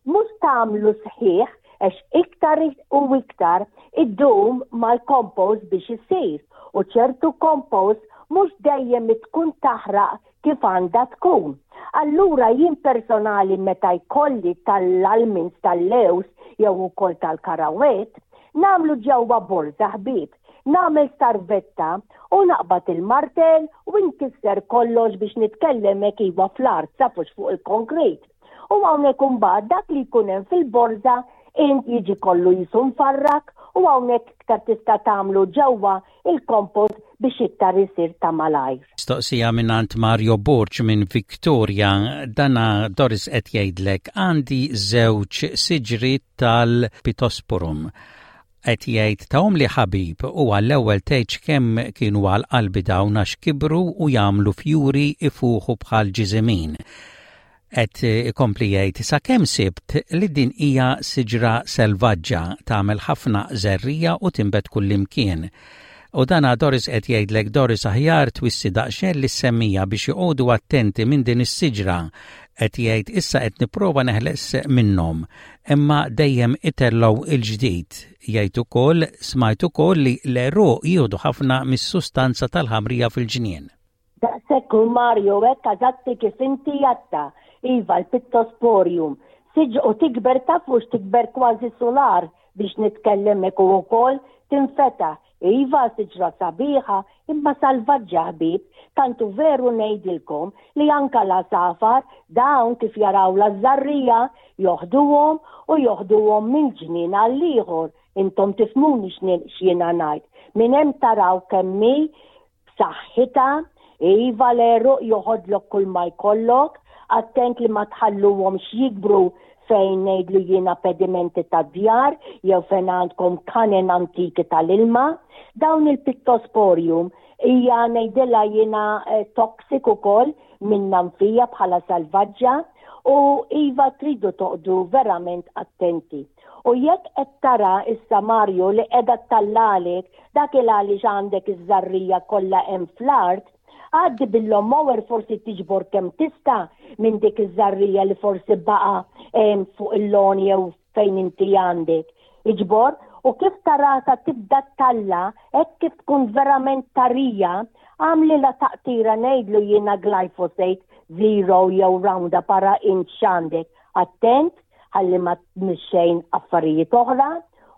mhux tagħmlu sħiħ għax iktar u iktar iddum mal-compost biex isir u ċertu compost mhux dejjem tkun taħraq kif għandha tkun. Allura jien personali meta jkolli tal-almonds tal-lewż jew ukoll tal-karawett, nagħmlu ġewwa borża ħbieb, nagħmel sarvetta u naqbad il-martell u nkisser kollox biex nitkellem hekk iva fl-art sa fux fuq il-konkrit. U hawnhekk imbagħad dak li jkun hemm fil-borża int jiġi kollu jisu mfarrak u hawnhekk iktar tista' tagħmlu ġewwa il-kompost biex iktar isir ta' malajr. Mistoqsija mingħand Mario Borg minn Victoria, dana Doris qed jgħidlek għandi żewġ siġriet tal-Pittosporum. Qed jgħid tahomli ħabib u għall-ewwel tgħidx kemm kienu għal qalbi dawn għax kibru u jagħmlu fjuri ifuħu bħal ġiżimin. Qed ikompli jgħid sakemm sibt li din hija siġra selvaġġa, tagħmel ħafna żerriegħa u tinbet kullimkien. U dana Doris qed jgħidlek Doris aħjar twissi daqsxejn lis-semmiegħa biex joqogħdu attenti minn din is-siġra. Qed jgħid issa qed nipprova neħles minnhom, imma dejjem itellgħu il-ġdid. Jgħid ukoll smajt ukoll li l-għeruq jieħdu ħafna mis-sustanza tal-ħamrija fil-ġnien. Daqshekk hu Mario hekk eżatti kif inti għedtha. Iva l-pittosporium. Siġ u tikber taf hux tikber kważi sular biex nitkellem hekk u wkoll tinfetaħ. Iva siġra sabiħa imma salvaġġa ħbieb, tant hu veru ngħidilkom li anka l-għasafar dawn kif jaraw l-żarrija joħduhom u joħduhom minn ġnien għall-ieħor. Intom tifhmuni x'jiena ngħid. Minn hemm taraw kemm hi b'saħħitha, iva l-għeruq joħodlok kull ma jkollok, attent li ma tħalluhomx jikbru fejn ngħidlu jiena pedimenti tad-djar jew fejn għandkom kanen antiki tal-ilma. Dawn il-pittosporium hija ngħidilha jiena eh, toxic ukoll minnha nfija bħala salvaġġa u iva tridu toqdu verament attenti. U jekk qed tara issa Mario li qiegħda ttallalek dak il għaliex għandek iż-żarrija kollha hemm fl-art, għaddi bil-lawnmower forsi tiġbor kemm tista' minn dik iż-żarrija li forsi baqa' hemm fuq il-lawn jew fejn inti għandek. Iġbor u kif tarasa tibda ttalla hekk kif tkun verament tarija, għamlilha taqtira ngħidlu jiena glyphosate zero jew roundup ara int x'għandek. Attent ħalli ma tmiss xejn affarijiet oħra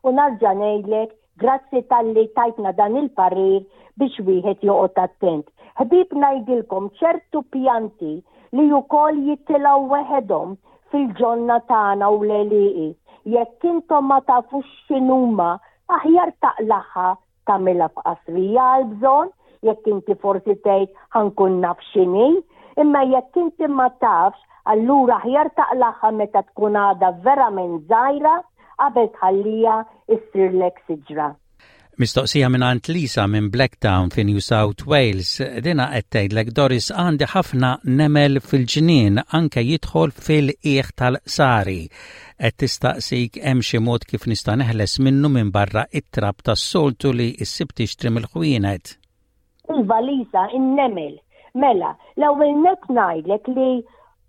u narġa' ngħidlek grazzi talli tajtna dan il-parir biex wieħed joqgħod attent. Ħbieb ngħidilkom ċertu pjanti li wkoll jitilgħu weħedhom fil-ġonna tagħna u l-għelieqi. Jekk intom ma tafux x'inhuma aħjar taqlagħha tagħmilha f'qasrija għall-bżonn, jekk inti forsi tgħid ħa nkun naf x'inhi, imma jekk inti ma tafx, allura aħjar taqlagħha meta tkun għadha verament żgħira qabel tħalliha issirlek siġra. Mistoqsija mingħand Lisa minn Blacktown fi New South Wales. Dina qed tgħidlek Doris għandi ħafna nemel fil-ġnien anke jidħol fil-qiegħ tal-qsari. Qed tistaqsik hemm xi mod kif nista' neħles minnu minbarra it-trab tas-soltu li ssib tixtri mill-ħwienet. Iva Lisa, in-nemel. Mela, l-ewwel nett ngħidlek li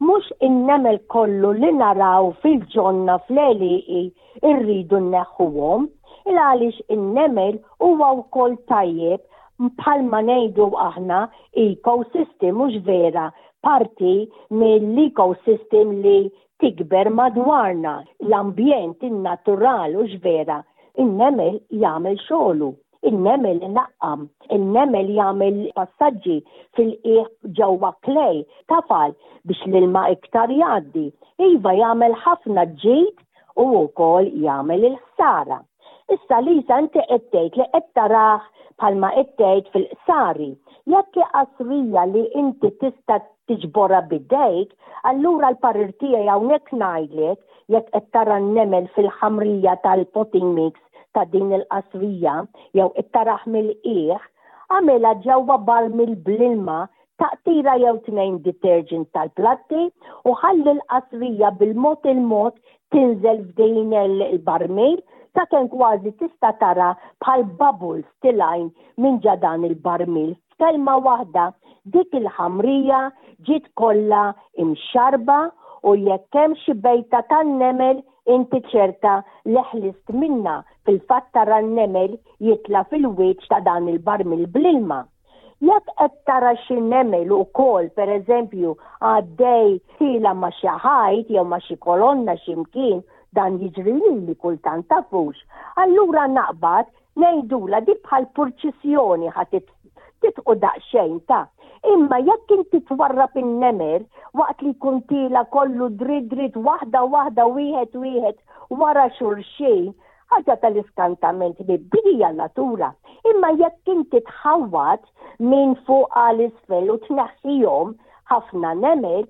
mhux in-nemel kollu li naraw fil-ġonna fl-għelieqi rridu nneħħuhom, il għaliex in-nemel huwa wkoll tajjeb bħalma ngħidu aħna ecosystem mhux vera, parti mill-ecosystem li tikber madwarna, l-ambjent, in-natural, hux vera? In-nemel jagħmel xogħlu, in-nemel inaqqam, in-nemel jagħmel passaġġi fil-qiegħ ġewwa clay, tafal biex l-ilma iktar jgħaddi. Iva jagħmel ħafna ġid u wkoll jagħmel il-ħsara. Issa Lisa inti qed tgħid li qed tarah bħalma qed tgħid fil-qsari. Jekk hi qasrija li inti tista' tiġborha b'idejk, allura l-parir tiegħi hawnhekk ngħidlek jekk qed tara n-nemel fil-ħamrija tal-potting mix ta' din il-qasrija jew qed tarah mill-qiegħ, agħmilha ġewwa barmil bl-ilma taqtira jew tnejn detergent tal-platti u ħalli l-qasrija bil-mod il-mod tinżel f'din il-barmil sakemm kważi tista' tara bħal bubbles tilgħin minn ġa dan il-barmil. F'kelma waħda, dik il-ħamrija ġiet kollha imxarrba u jekk hemm xi bejta tan-nemel inti ċerta li ħlist minnha, fil-fatt tara n-nemel jitla' fil-wiċċ ta' dan il-barmil bl-ilma. Jekk qed tara xi nemel ukoll, pereżempju, għaddej tiela' ma' xi ħajt jew ma' xi kolonna xi mkien, dan jiġri lili kultant tafux, allura naqbad ngħidulha dik bħal purċissjoni ħa titqu daqsxejn ta'. Imma jekk inti twarrab in-nemel waqt li jkun tiela' kollu dritt dritt waħda waħda wieħed wieħed wara xulxin, Ħaġa tal-iskantament ħbieb, din hija n-natura. Imma jekk inti tħawwad minn fuq għal isfel u tneħħihom ħafna nemel,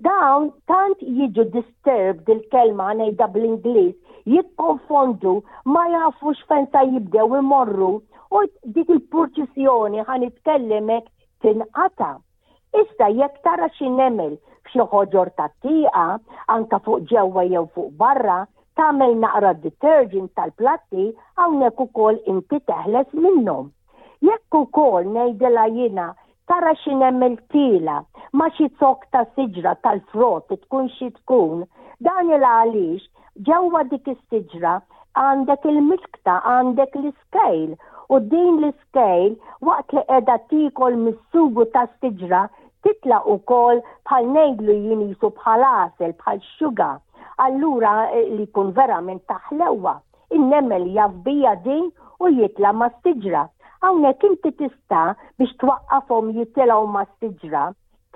dawn tant jiġu disturbed il-kelma ngħidha bl-Ingliż, jikkonfondu, ma jafux fejn sa jibdew imorru u dik il-purċissjoni ħa nitkellem hekk tinqata'. Issa jekk tara xi nemel f'xi ħoġor tat-tieqa, anke fuq ġewwa jew fuq barra, tagħmel naqra detergent tal-platti hawnhekk ukoll inti teħles minnhom. Jekk ukoll ngħidilha jiena tara xi nemel tiela' ma' xi zokk ta' siġra tal-frott tkun xi tkun, dan il għaliex ġewwa dik is-siġra għandek il-miskta, għandek l-iscale u din l-iscale waqt li qiegħda tiekol mis-sugu tas-siġra titla' ukoll bħal ngħidlu jien qisu bħal għasel, bħal sugar. Allura li jkun verament ta' ħlewwa. In-nemel jaf bija din u jitla' mas-siġra. Hawnhekk inti tista' biex twaqqafhom jitilgħu mas-siġra,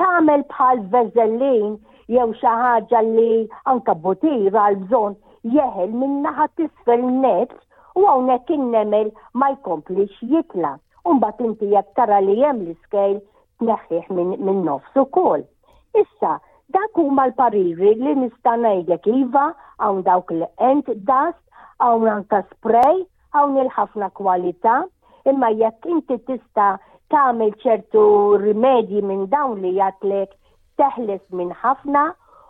tagħmel bħal veżellin jew xi ħaġa li anke butir għall-bżonn jeħel min-naħa t'isfel nett u hawnhekk in-nemel ma jkomplix jitla'. U mbagħad inti jekk tara li hemm l-iskejl tneħħih minn nofs ukoll. Issa, dak huma l-pariri li nista' ngħidlek iva, hawn dawk l-ant dust, hawn anka spray, hawn il-ħafna kwalità, imma jekk inti tista' tagħmel ċertu rimedji minn dawn li jgħatlek teħles minn ħafna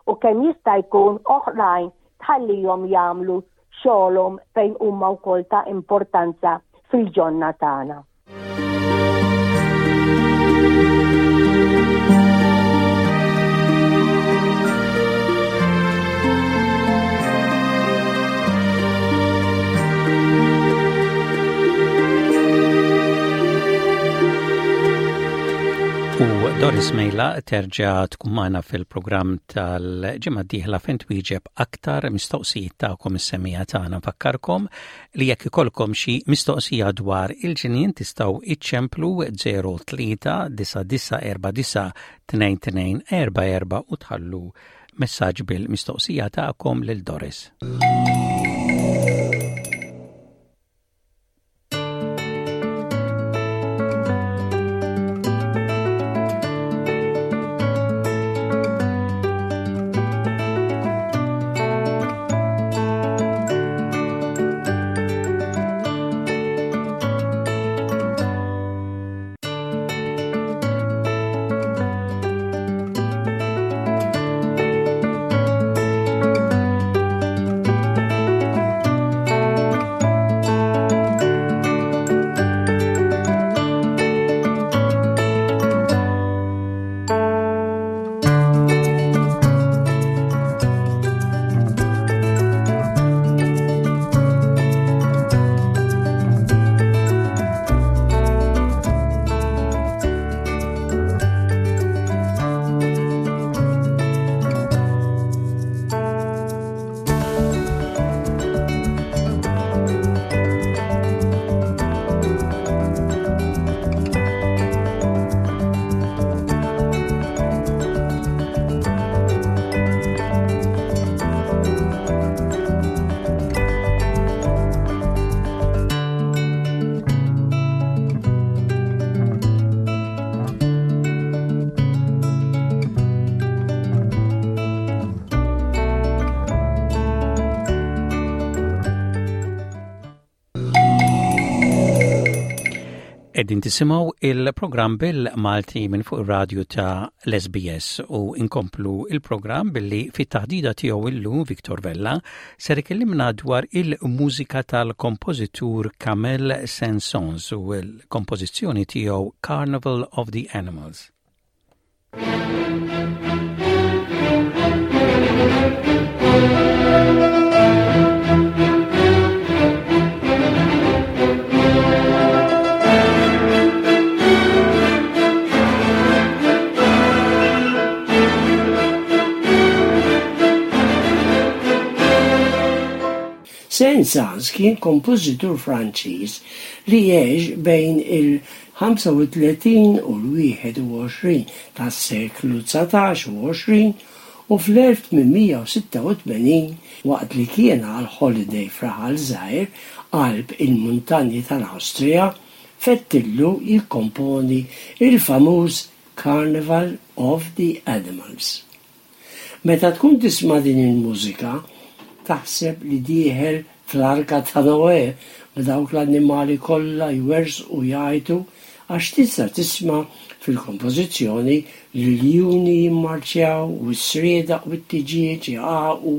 u kemm jista' jkun oħrajn tħallihom jagħmlu xogħolhom fejn huma wkoll ta' importanza fil-ġonna tagħna. U Doris Mejla terġa' tkun magħna fil-programm tal-ġimgħa d-dieħla fejn twieġeb aktar mistoqsijiet tagħkom is-semija tagħna. Nfakkarkom li jekk ikollkom xi mistoqsija dwar il-ġnien tistgħu iċċemplu 03 9949 2244 u tħallu messaġġ bil-mistoqsija tagħkom lil Doris. Qegħdin tisimgħu il-programm bil-Malti minn fuq ir-radju ta' l-SBS u inkomplu il-programm billi fit-taħdida tiegħu illum Victor Vella ser ikellimna dwar il-mużika tal-kompożitur Camille Saint-Saëns u l-kompożizzjoni tiegħu Carnival of the Animals. Saint-Saëns kien kompożitur Franċiż li għex bejn il-35 u l-21 tas-seklu 19 u 20 u fl-1886 waqt li kien għal holiday f'raħal żgħir qalb il-muntanji tal-Awstrija fettillu jikkomponi l-famuż Carnival of the Animals. Meta tkun tisma' din il-mużika, taħseb li dieħel fl-Arka ta' Noè b'dawk l-annimali kollha jwerżqu u jgħajtu għax tista' tisma' fil-kompożizzjoni l-iljuni jimmarċjaw u s-sriedaq u t-tiġieġ iqagħqu,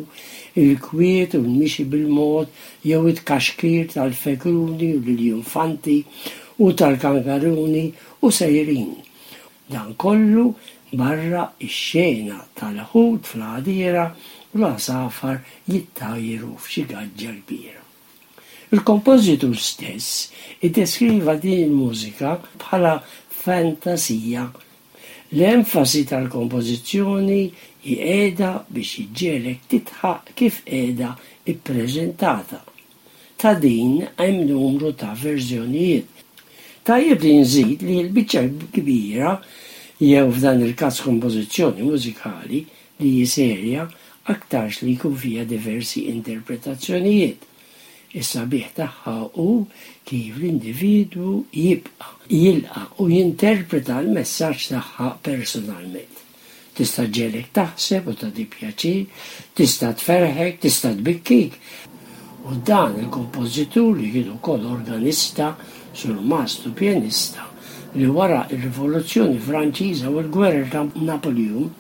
il-kwiet u l-mixi bil-mod jew it-tkaxkir tal-fekruni u l-iljunfanti u tal-kangaruni u sejrin. Dan kollu barra x-xena tal-ħut fl-għadira u l-għasafar jittajru f'xi gaġġa kbira. Il-kompożitur stess iddeskriva din il-mużika bħala fantasija. L-enfasi tal-kompożizzjoni hi qiegħda biex iġġegħlek tidħaq kif qiegħda ppreżentata. Ta' din hemm numru ta' verżjonijiet. Tajjeb li nżid li l-biċċa l-kbira, jew f'dan il-każ kompożizzjoni mużikali, li hi serja, aktarx li jkun fiha diversi interpretazzjonijiet. Is-sabiħ tagħha hu kif l-individwu jibqa' jilqa' u jinterpreta l-messaġġ tagħha personalment. Tista' ġġegħlek taħseb u tagħtik pjaċir, tista' tferrħek, tista' tbikkik. U dan il-kompożitur li kien ukoll organista, surmast u pjanista, li wara r-Rivoluzzjoni Franċiża u l-Gwerer ta' Napuljun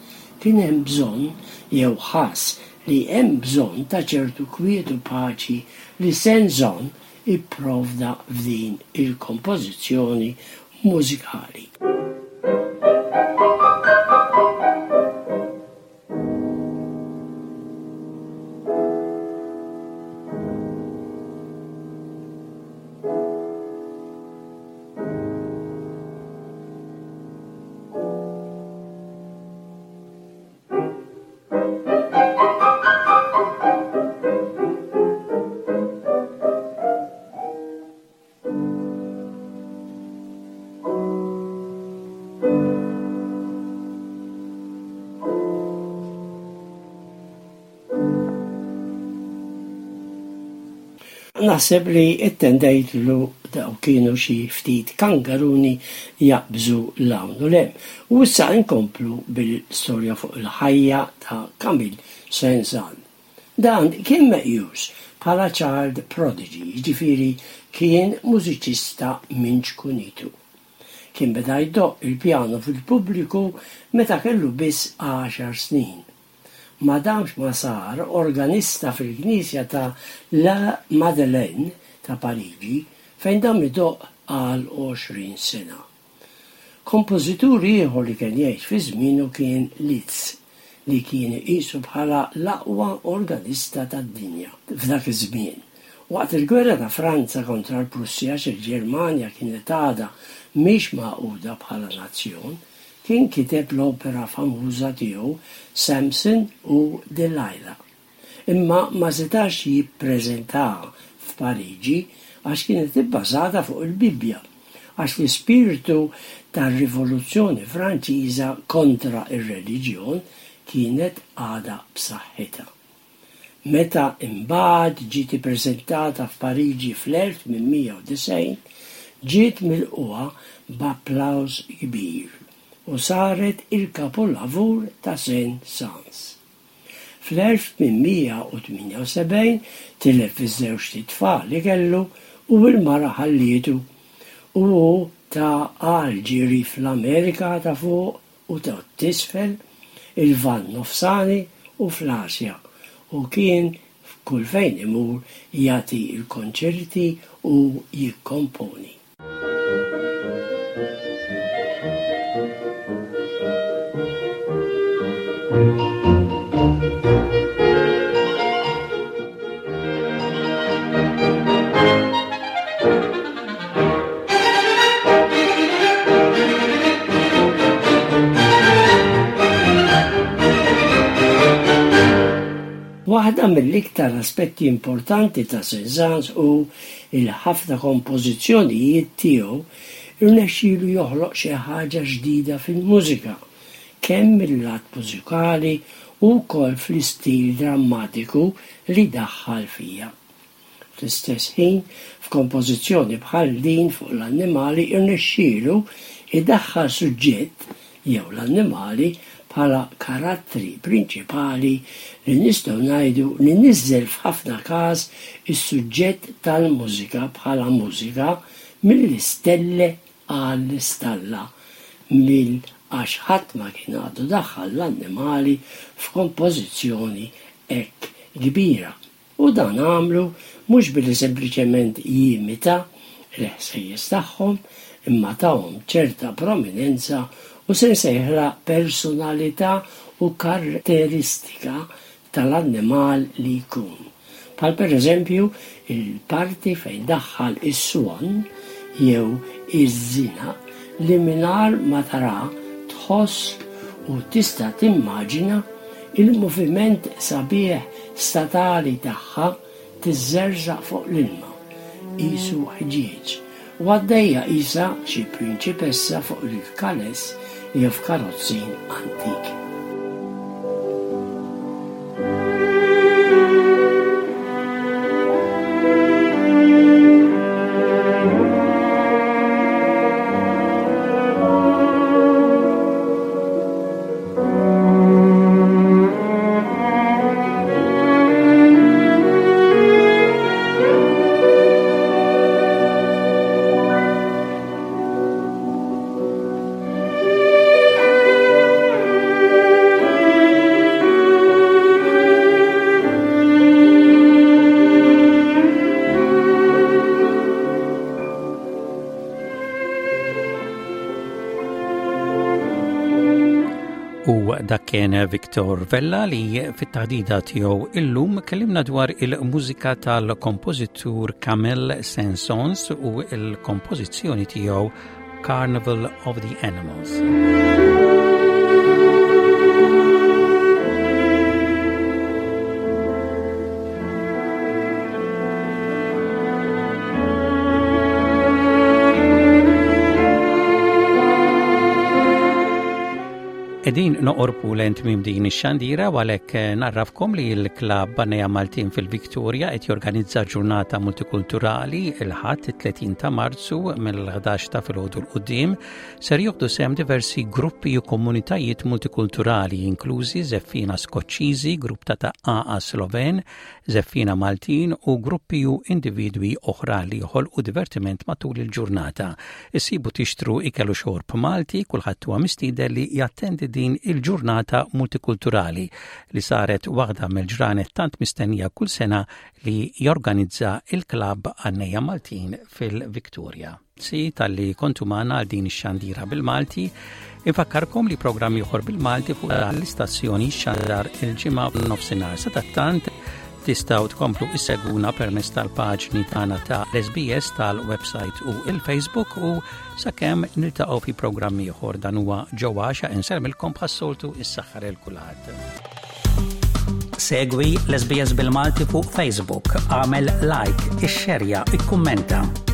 kien hemm bżonn jew ħass li hemm bżonn ta' ċertu kwiet u paċi li Saint-Saëns ipprovda f'din il-kompożizzjoni mużikali. Naħseb li ttendejtlu daw kienu xi ftit kangaruni jaqbżu 'l hawn u 'l hemm. U issa nkomplu bil-storja fuq il-ħajja ta' Camille Saint-Saëns. Dan kien meqjus bħala child prodigy, jiġifieri kien mużiċista minn ċkunitu. Kien beda jdoqq il-pjano fil-pubbliku meta kellu biss għaxar snin. Ma damx ma sar organista fil-knisja ta' La Madeleine ta' Pariġi fejn dam idoqq għal 20 sena. Kompożitur ieħor li kien jgħix fi żmienu kien Liszt, li kien iqisu bħala l-aqwa organista tad-dinja f'dak iż-żmien. Waqt il-Gwerra ta' Franza kontra l-Prussja għax il-Ġermanja kienet għadha mhix magħquda bħala nazzjon, kien kiteb l-opera famuża tiegħu Samson u Delilah. Imma ma setax jippreżentaha f'Pariġi għax kienet ibbażata fuq il-Bibbja, għax l-ispirtu tar-Rivoluzzjoni Franċiża kontra r-reliġjon kienet għadha b'saħħitha. Meta imbagħad ġiet ippreżentata f'Pariġi fl-1890, ġiet milqugħa b'applawż kbir u saret il-kapulavur ta' Saint-Saëns. Fl-1878 tilef iż-żewġt itfal li kellu u l-mara ħallietu u hu ta għal ġiri fl-Amerika ta' Fuq u ta' t'Isfel, il-Lvant Nofsani u fl-Asja u kien kull fejn imur jagħti l-konċerti u jikkomponi. Waħda mill-iktar aspetti importanti ta' Cézanne hu il-ħafna kompożizzjonijiet tiegħu rnexxielu joħloq xi ħaġa ġdida fil-mużika, kemm mil-lat mużikali u wkoll fl-istil drammatiku li daħħal fiha. Fl-istess ħin, f'kompożizzjoni bħal din fuq l-annimali rnexxielu jdaħħal suġġett jew l-annimali bħala karattri prinċipali li nistgħu ngħidu li niżżel f'ħafna każ is-suġġett tal-mużika bħala mużika mill-istelle għall-istalla mill għax ħadd ma kien għadu daħħal l-annimali f'kompożizzjoni hekk kbira. U dan għamlu mhux billi sempliċement jimita l-ħsejjes tagħhom, imma tahom ċerta prominenza u se nsejħilha personalità u kartteristika tal-annimal li jkun. Bħal pereżempju il-parti fejn daħħal is-swan jew iż-żinaq li mingħajr ma tara tħoss u tista' timmaġina Il-moviment sabiħ statali tagħha tiżżerżaq fuq l-ilma. qisu ħġieġ u għaddejja qisha xi prinċipessa fuq il-kales jew f'karozzin antik. U dak kien Victor Vella li fit-taħdida tiegħu illum kellimna dwar il-mużika tal-kompożitur Camille Saint-Saëns u l-kompożizzjoni tiegħu Carnival of the Animals. Edin noqorbu lejn tmiem din ix-xandira u għalhekk eh, narrafkom li l-klabb Banneja Maltin fil-Viktoria qed jorganizza ġurnata multikulturali il-Ħadd 30 ta' Marzu mill-11 ta' filgħodu l qudiem ser joħdu sehem diversi gruppi u komunitajiet multikulturali inklużi żeffina Skoċċiżi, grupp ta' taqqaqa Sloven, żeffiena Maltin u gruppi u individwi oħra li joħolqu divertiment matul il-ġurnata. Issibu tixtru ikel u xorb Malti, kulħadd huwa mistieden li jattendi din il-ġurnata multikulturali li saret waħda mill-ġranet tant mistennija kull sena li jorganizza il-Klabb Għannejja Maltin fil-Victoria. Grazzi talli kontu magħna għal din ix-xandira bil-Malti. Infakkarkom li programm ieħor bil-Malti fuq l-istazzjoni xandar il-ġimgħa nofsinhar. Sadattant tistgħu tkomplu isseguna permezz tal-paġni tagħna ta' l-SBS tal-website u il-Facebook u sakemm niltaqgħu fi programm ieħor dan huwa ġewwa xa insermilkom bħas-soltu is-saħħa lil kulħadd. Segwi l-SBS bil-Malti fuq Facebook, għamel like, ixxerja, ikkummenta.